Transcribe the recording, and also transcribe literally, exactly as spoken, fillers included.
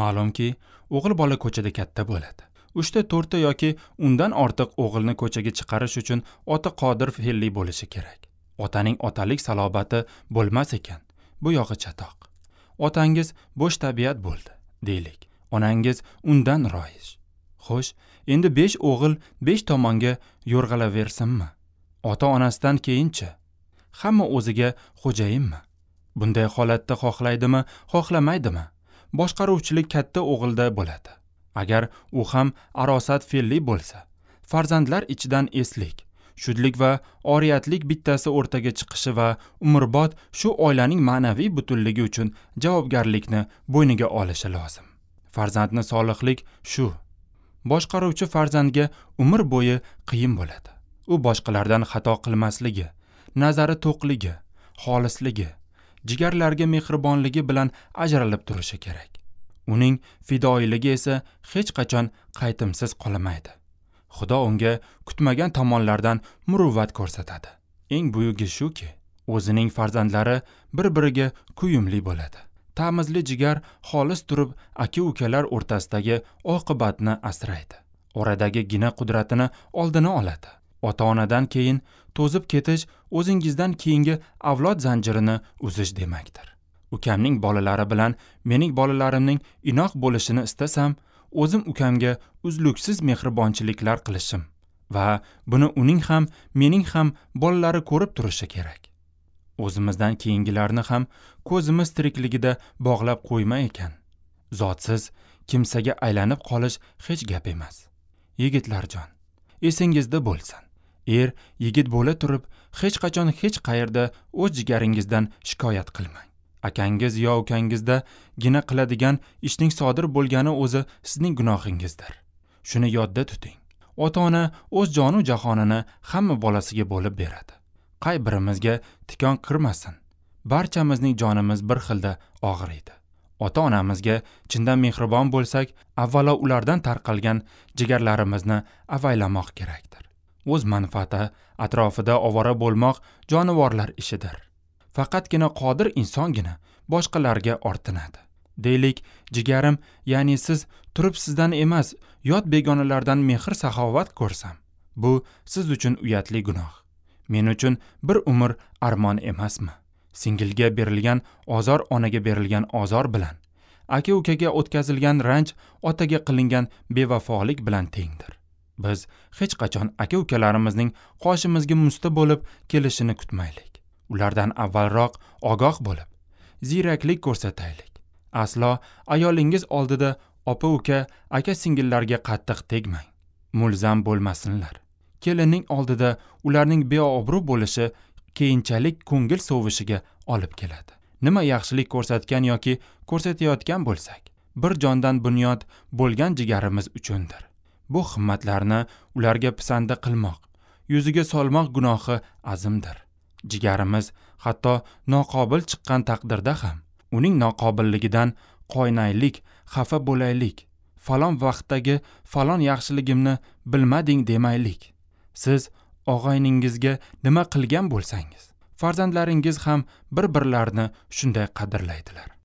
Ma'lumki, o'g'il bola ko'chada katta bo'ladi. Uchta, to'rtta yoki undan ortiq o'g'ilni ko'chaga chiqarish uchun ota qodir fe'lli bo'lishi kerak. Otaning otalik salobati bo'lmas ekan, bu yog'i chatoq. Otangiz bo'sh tabiat bo'ldi, deylik. Onangiz undan royish. Xo'sh, endi besh o'g'il besh tomonga yo'rg'alaversinmi? Ota-onasidan keyinchi hamma o'ziga xo'jayinmi? Bunday holatda xohlaydimi, xohlamaydimi? Boshqaruvchilik katta o'g'ilda bo'ladi. Agar u ham arosat fe'lli bo'lsa, farzandlar ichidan eslik, shudlik va oriyatlik bittasi o'rtaga chiqishi va umrbod shu oilaning ma'naviy butunligi uchun javobgarlikni bo'yniga olishi lozim. Farzandni solihlik shu. Boshqaruvchi farzandga umr bo'yi qiyin bo'ladi. U boshqalardan xato qilmasligi, nazari to'qligi, xolisligi, jigarlarga mehribonligi bilan ajralib turishi kerak. Uning fidoyiligi esa hech qachon qaytimsiz qolmaydi. Xudo unga kutmagan tomonlardan muruvvat ko'rsatadi. Eng buyugi shuki, o'zining farzandlari bir-biriga kuyumli bo'ladi. Tamizli jigar xolis turib aka-ukalar o'rtasidagi oqibatni asraydi. Oradagi gina qudratini oldini oladi. Ota-onadan keyin to'zib ketish o'zingizdan keyingi avlod zanjirini uzish demakdir. Ukamning bolalari bilan mening bolalarimning inoq bo'lishini istasam, o'zim ukamga uzluksiz mehribonchiliklar qilishim va buni uning ham, mening ham bolalari ko'rib turishi kerak. O'zimizdan keyingilarni ham ko'zimiz tirikligida bog'lab qo'yma ekan. Zotsiz kimsaga aylanib qolish hech gap emas. Yigitlarjon, esingizda bo'lsin. Er yigit bo'la turib, hech qachon hech qayerda o'z jigaringizdan shikoyat qilmang. Akangiz yo ukangizda gina qiladigan ishning sodir bo'lgani o'zi sizning gunohingizdir. Shuni yodda tuting. Ota-ona o'z jonu jahonini hamma bolasiga bo'lib beradi. Qay birimizga tikon kirmasin, barchamizning jonimiz bir xilda og'riydi. Ota-onamizga chindan mehribon bo'lsak, avvalo ulardan tarqalgan jigarlarimizni avaylamoq kerakdir. O'z manfaati atrofida ovora bo'lmoq jonivorlar ishidir. Faqatgina qodir insongina boshqalarga ortinadi. Deylik, jigarim, ya'ni siz turib sizdan emas, yot begonalardan mehr saxovat ko'rsam, bu siz uchun uyatli gunoh. Men uchun bir umr armon emasmi? Singilga berilgan ozor onaga berilgan ozor bilan, aka-ukaga o'tkazilgan ranj otaga qilingan bevafolik bilan tengdir. Biz hech qachon aka-ukalarimizning qoshimizga musta bo'lib kelishini kutmaylik. Ulardan avvalroq ogoh bo'lib, ziyraklik ko'rsataylik. Aslo ayolingiz oldida opa-uka, aka-singillarga qattiq tegmang. Mulzam bo'lmasinlar. Kelinning oldida ularning beobro' bo'lishi keyinchalik ko'ngil sovishiga olib keladi. Nima yaxshilik ko'rsatgan yoki ko'rsatayotgan bo'lsak, bir jondan bunyod bo'lgan jigarimiz uchundir. Bu himmatlarni ularga pisanda qilmoq, yuziga solmoq gunohi azimdir. Jigarimiz hatto noqobil chiqqan taqdirda ham uning noqobilligidan qoynaylik, xafa bo'laylik, falon vaqtdagi falon yaxshiligimni bilmading demaylik. Siz og'ayningizga nima qilgan bo'lsangiz, farzandlaringiz ham bir-birlarini shunday qadrlaydilar.